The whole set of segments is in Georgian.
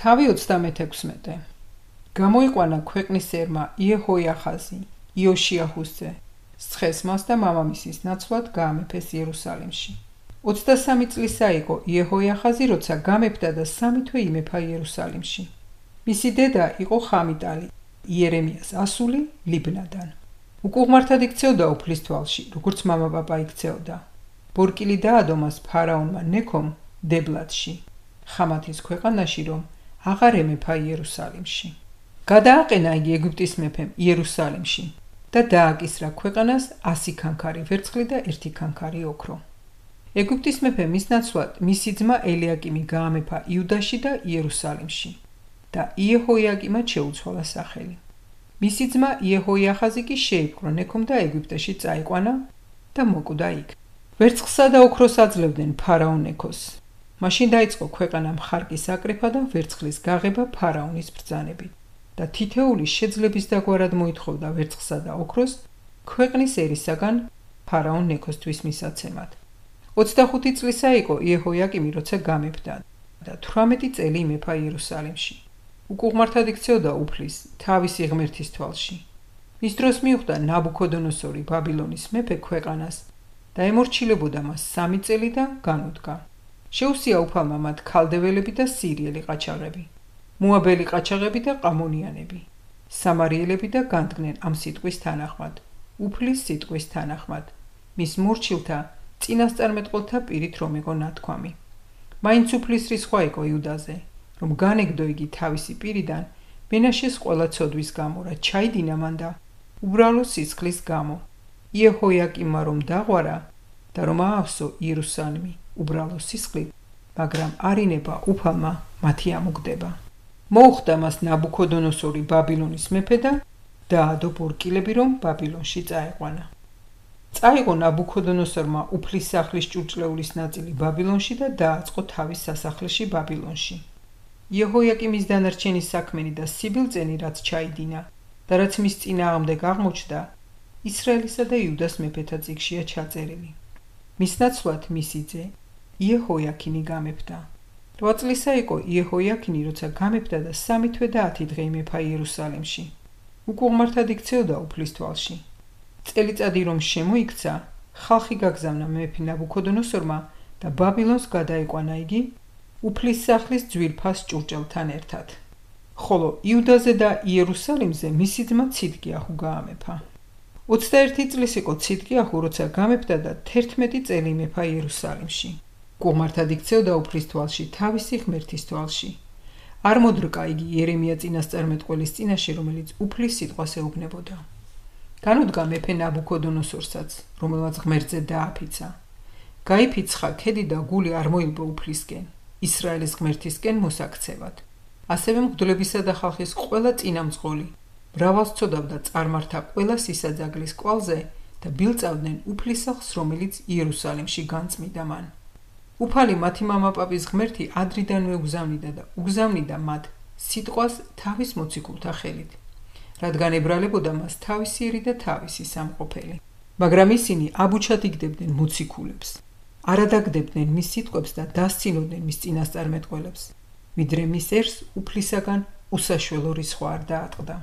თავი 36. გამოიყვანა ქვეყნის ერმა იეჰოიახაზი, იოშიაჰუს ძე, სხესმას და მამამისის ნაცვლად გაამეფეს იერუსალიმში. 23 წლისა იყო იეჰოიახაზი, როცა გამეფდა და 3 თვე იმეფა იერუსალიმში. მისი დედა იყო ხამიტალი, იერემიას ასული ლიბნადან. უკუღმართად იქცეოდა უფლის თვალში, როგორც მამაპაპა იქცეოდა. ბორკილი დაადო მას ფარაონმა ნექომ დებლათში, ხამათის ქვეყანაში, რომ აღარ ემეფა იერუსალიმში. გადააყენა იგი ეგვიპტის მეფემ იერუსალიმში და დააკისრა ქვეყანას 100 ქანქარი ვერცხლი და 1 ქანქარი ოქრო. ეგვიპტის მეფე მის ნაცვლად მისი ძმა ელიაკიმი გაამეფა იუდაში და იერუსალიმში და იეჰოიაკიმად შეუცვალა სახელი. მისი ძმა იეჰოიახაზი კი შეიპყრო ნექომ და ეგვიპტეში წაიყვანა და მოკვდა იქ. ვერცხლსა და ოქროს აძლევდნენ ფარაონ ნექოს. მაშინ დაიწყო ქვეყანა მხარკის აკრეფა და ვერცხლის გაღება ფარაონის ბრძანებით და თითეული შეძლების დაგვარად მოითხოვდა ვერცხლსა და ოქროს ქვეყნის ერისაგან ფარაონ ნექოსთვის მისაცემად. 25 წლისა იყო იეჰოიაკიმი, როცა გამეფდა და 18 წელი იმეფა იერუსალიმში. უკუღმართად იქცეოდა უფლის თავისი ღმერთის თვალში. მის დროს მიუხვდა ნაბუქოდონოსორი ბაბილონის მეფე ქვეყანას და ემორჩილებოდა მას 3 წელი და განუდგა. შეუსია უფალმა მათ ქალდეველები და სირიელი ყაჩაღები, მოაბელი ყაჩაღები და ყამონიანები, სამარიელები და განდგნენ ამ სიტყვის თანახმად, უფლის სიტყვის თანახმად, მის მორჩილთა წინასწარმეტყველთა პირით რომ იყო ნათქვამი. მაინც უფლის რისხვა იყო იუდაზე, რომ განეგდო იგი თავისი პირიდან მენაშეს ყველა ცოდვის გამო, რა ჩაიდინა მან და უბრალო სისხლის გამო. იეჰოიაკიმმა რომ დაღვარა და რომ აავსო იერუსალიმი უბრალო სისხლით, მაგრამ არინება უფალმა მათი ამოგდება. მოუხდა მას ნაბუქოდონოსორი ბაბილონის მეფე და დაადო ბორკილები, რომ ბაბილონში წაეყვანა. წაიღო ნაბუქოდონოსორმა უფლის სახლის ჭურჭლეულის ნაწილი ბაბილონში და დააწყო თავის სასახლეში ბაბილონში. იეჰოიაკიმის დანარჩენი საქმენი და სიბილწენი, რაც ჩაიდინა და რაც მის წინააღმდეგ აღმოჩნდა, ისრაელისა და იუდას მეფეთა წიგნშია ჩაწერილი. მის ნაცვლად მისი ძე იეჰოიაკინი გამეფდა. 8 წლისა იყო იეჰოიაკინი, როცა გამეფდა და 3 თვე და 10 დღე იმეფა იერუსალიმში. უკუღმართად იქცეოდა უფლის თვალში. წელიწადი რომ შემოიქცა, ხალხი გაგზავნა მეფე ნაბუქოდონოსორმა და ბაბილონს გადაიყვანა იგი უფლის სახლის ძვირფას ჭურჭელთან ერთად. ხოლო იუდაზე და იერუსალიმზე მისი ძმა ციდკიაჰუ გაამეფა. 21 წლის იყო ციდკიაჰუ, როცა გამეფდა და 11 წელი იმეფა იერუსალიმში. უკუღმართად იქცეოდა უფლის თვალში თავისი ღმერთის თვალში. არ მოდრკა იგი იერემია წინასწარმეტყველის წინაშე, რომელიც უფლის სიტყვას ეუბნებოდა. განუდგა მეფე ნაბუქოდონოსორსაც, რომელმაც ღმერთზე დააფიცა. გაიფიცხა ქედი და გული არ მოილბო უფლისკენ, ისრაელის ღმერთისკენ მოსაქცევად. ასევე მღვდლებისა და ხალხის ყველა წინამძღოლი მრავალს ცოდავდა წარმართა ყველა სისაძაგლის კვალზე და ბილწავდნენ უფლისახს, რომელიც იერუსალიმში განწმიდა მან. უფალი მათი მამაპაპის ღმერთი ადრიდანვე უგზავნიდა მათ სიტყვას თავის მოციქულთა ხელით, რადგან ებრალებოდა მას თავისიერი და თავისი სამყოფელი. მაგრამ ისინი აბუჩად იგდებდნენ მოციქულებს, არადაგდებდნენ მის სიტყვებს და დასცინოდნენ მის წინასწარმეტყველებს, ვიდრე მის ერს უფლისაგან უსაშველო რისხვა არ დაატყდა.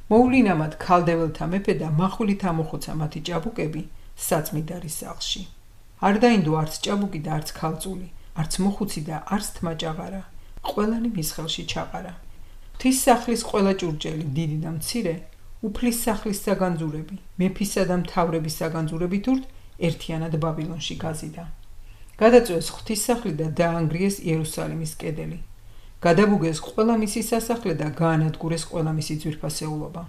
მოუვლინა მათ ქალდეველთა მეფე და მახვილით ამოხოცა მათი ჭაბუკები საწმიდარის სახლში. არ დაინდო არც ჭაბუკი და არც ქალწული, არც მოხუცი და არც თმაჭაღარა, ყველანი მის ხელში ჩაყარა. ღვთის სახლის ყველა ჭურჭელი, დიდი და მცირე, უფლის სახლის საგანძურები, მეფისა და მთავრების საგანძურებით ურთ ერთიანად ბაბილონში გაზიდა. გადაწვეს ღვთის სახლი და დაანგრიეს იერუსალიმის კედელი. გადაბუგეს ყველა მისი სასახლე და გაანადგურეს ყველა მისი ძვირფასეულობა.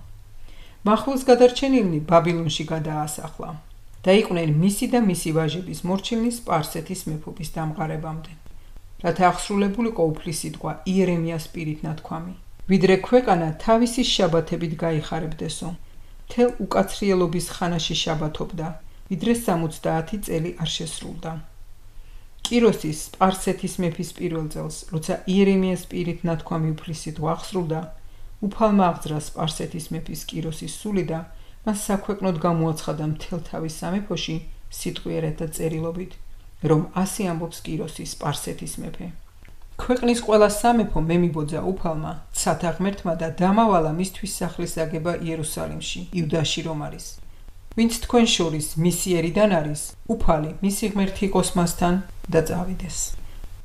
მახვილს გადარჩენილნი ბაბილონში გადაასახლა. დაიყვნენ მისი და მისი ვაჟების მორჩილნი სპარსეთის მეფობის დამყარებამდე. რათა აღსრულებულიყო უფლის სიტყვა იერემიას პირით ნათქვამი. ვიდრე ქვეყანა თავისი შაბათებით გაიხარებდესო, მთელ უკაცრიელობის ხანაში შაბათობდა, ვიდრე 70 წელი არ შესრულდა. კიროსის სპარსეთის მეფის პირველ წელს, როცა იერემიას პირით ნათქვამი უფლის სიტყვა აღსრულდა, უფალმა აღძრა სპარსეთის მეფის კიროსის სული და მას საქვეყნოდ გამოაცხადა მთელ თავის სამეფოში სიტყვიერად და წერილობით, რომ ასე ამბობს კიროსის სპარსეთის მეფე. ქვეყნის ყველა სამეფო მემიბოძა უფალმა ცათა ღმერთმა და დამავალა მისთვის სახლის აგება იერუსალიმში, იუდაში რომ არის. ვინც თქვენ შორის მისი ერიდან არის, უფალი მისი ღმერთი იყოს მასთან და წავიდეს.